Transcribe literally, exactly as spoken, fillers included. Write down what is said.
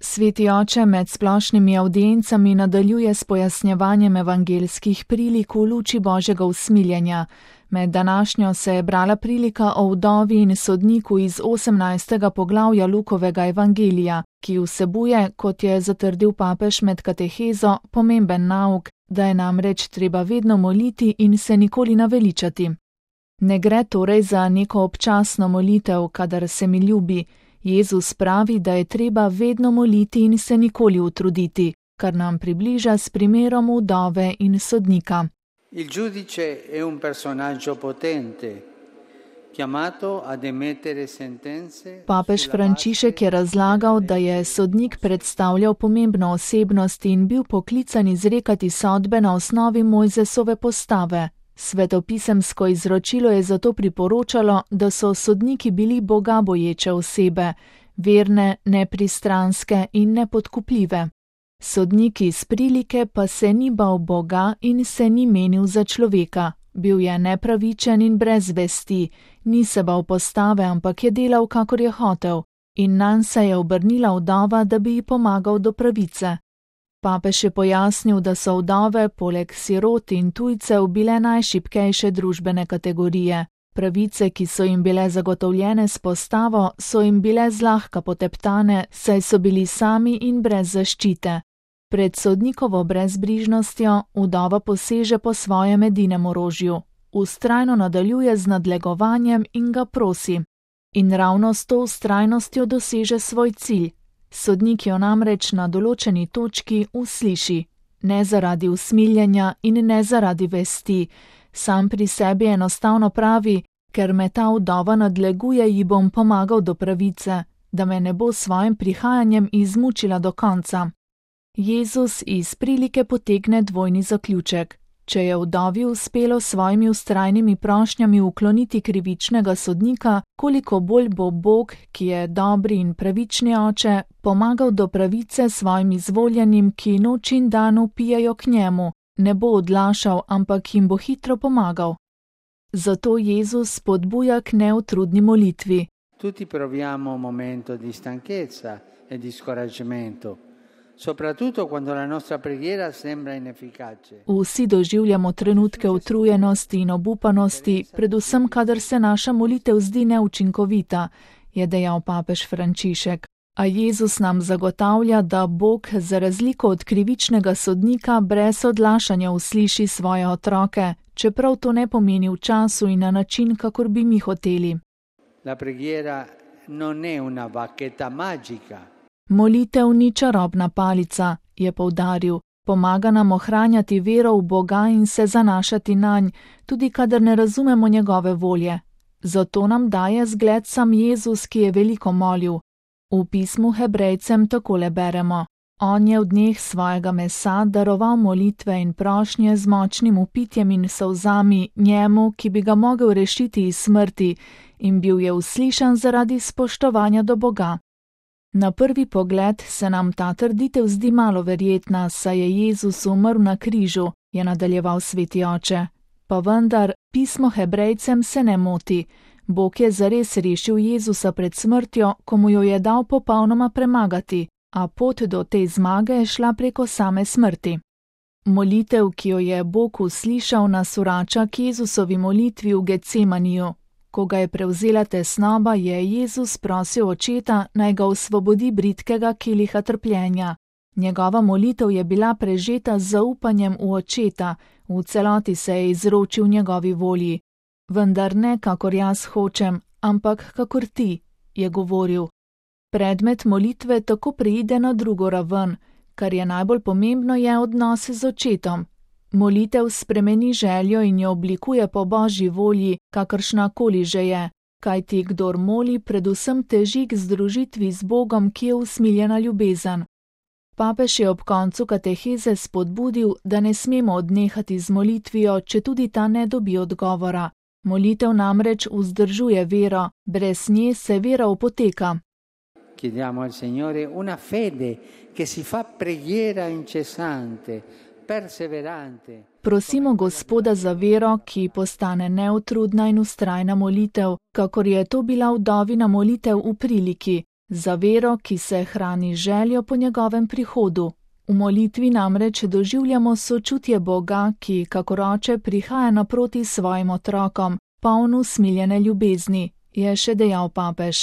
Sveti oče med splošnimi avdiencami nadaljuje s pojasnjevanjem evangeljskih prilik v luči Božjega usmiljenja. Med današnjo se je brala prilika o vdovi in sodniku iz osemnajstega poglavja Lukovega evangelija, ki vsebuje, kot je zatrdil papež med katehezo, pomemben nauk, da je namreč treba vedno moliti in se nikoli naveličati. Ne gre torej za neko občasno molitev, kadar se mi ljubi. Jezus pravi, da je treba vedno moliti in se nikoli utruditi, kar nam približa s primerom vdove in sodnika. Il giudice è un personaggio potente, chiamato ad emettere sentenze. Papež Frančišek je razlagal, da je sodnik predstavljal pomembno osebnost in bil poklican izrekati sodbe na osnovi Mojzesove postave. Svetopisemsko izročilo je zato priporočalo, da so sodniki bili bogaboječe osebe, verne, nepristranske in nepodkupljive. Sodnik iz prilike pa se ni bal Boga in se ni menil za človeka. Bil je nepravičen in brez vesti, ni se bal postave, ampak je delal, kakor je hotel, in nanj se je obrnila vdova, da bi ji pomagal do pravice. Papež je pojasnil, da so vdove, poleg sirot in tujcev, bile najšibkejše družbene kategorije. Pravice, ki so jim bile zagotovljene s postavo, so jim bile zlahka poteptane, saj so bili sami in brez zaščite. Pred sodnikovo brezbrižnostjo vdova poseže po svojem edinem orožju. Vztrajno nadaljuje z nadlegovanjem in ga prosi. In ravno s to vztrajnostjo doseže svoj cilj. Sodnik jo namreč na določeni točki usliši. Ne zaradi usmiljenja in ne zaradi vesti. Sam pri sebi enostavno pravi, ker me ta vdova nadleguje, ji bom pomagal do pravice, da me ne bo s svojim prihajanjem izmučila do konca. Jezus iz prilike potegne dvojni zaključek. Če je vdovi uspelo s svojimi vztrajnimi prošnjami ukloniti krivičnega sodnika, koliko bolj bo Bog, ki je dobri in pravični oče, pomagal do pravice svojim izvoljenim, ki noč in dan vpijajo k njemu, ne bo odlašal, ampak jim bo hitro pomagal. Zato Jezus spodbuja k neutrudni molitvi. Tutti proviamo un momento di stanchezza e di scoraggiamento. Soprattutto quando la nostra preghiera sembra inefficace. Vsi doživljamo trenutke utrujenosti in obupanosti, predvsem kadar se naša molitev zdi neučinkovita, je dejal papež Frančišek. A Jezus nam zagotavlja, da Bog za razliko od krivičnega sodnika brez odlašanja usliši svoje otroke, čeprav to ne pomeni v času in na način, kakor bi mi hoteli. La preghiera non è una bacchetta magica. Molitev ni čarobna palica, je poudaril, pomaga nam ohranjati vero v Boga in se zanašati nanj, tudi kadar ne razumemo njegove volje. Zato nam daje zgled sam Jezus, ki je veliko molil. V pismu Hebrejcem takole beremo: On je v dneh svojega mesa daroval molitve in prošnje z močnim vpitjem in solzami njemu, ki bi ga mogel rešiti iz smrti, in bil je uslišan zaradi spoštovanja do Boga. Na prvi pogled se nam ta trditev zdi malo verjetna, saj je Jezus umrl na križu, je nadaljeval sveti oče. Pa vendar, pismo Hebrejcem se ne moti. Bog je zares rešil Jezusa pred smrtjo, ko mu jo je dal popolnoma premagati, a pot do te zmage je šla preko same smrti. Molitev, ki jo je Bog uslišal, nas vrača k Jezusovi molitvi v Getsemaniju. Ko ga je prevzela tesnoba, je Jezus prosil očeta, naj ga osvobodi bridkega keliha trpljenja. Njegova molitev je bila prežeta z zaupanjem v očeta, v celoti se je izročil njegovi volji. Vendar ne kakor jaz hočem, ampak kakor ti, je govoril. Predmet molitve tako preide na drugo raven, kar je najbolj pomembno, je odnos z očetom. Molitev spremeni željo in jo oblikuje po Božji volji, kakršna koli že je, kajti kdor moli, predvsem teži k združitvi z Bogom, ki je usmiljena ljubezen. Papež je ob koncu kateheze spodbudil, da ne smemo odnehati z molitvijo, če tudi ta ne dobi odgovora. Molitev namreč vzdržuje vero, brez nje se vera opoteka. Chiediamo al Signore una fede che si fa preghiera incessante, perseverante. Prosimo Gospoda za vero, ki postane neutrudna in vztrajna molitev, kakor je to bila vdovina molitev v priliki, za vero, ki se hrani željo po njegovem prihodu. V molitvi namreč doživljamo sočutje Boga, ki kakor oče prihaja naproti svojim otrokom, poln usmiljene ljubezni, je še dejal papež.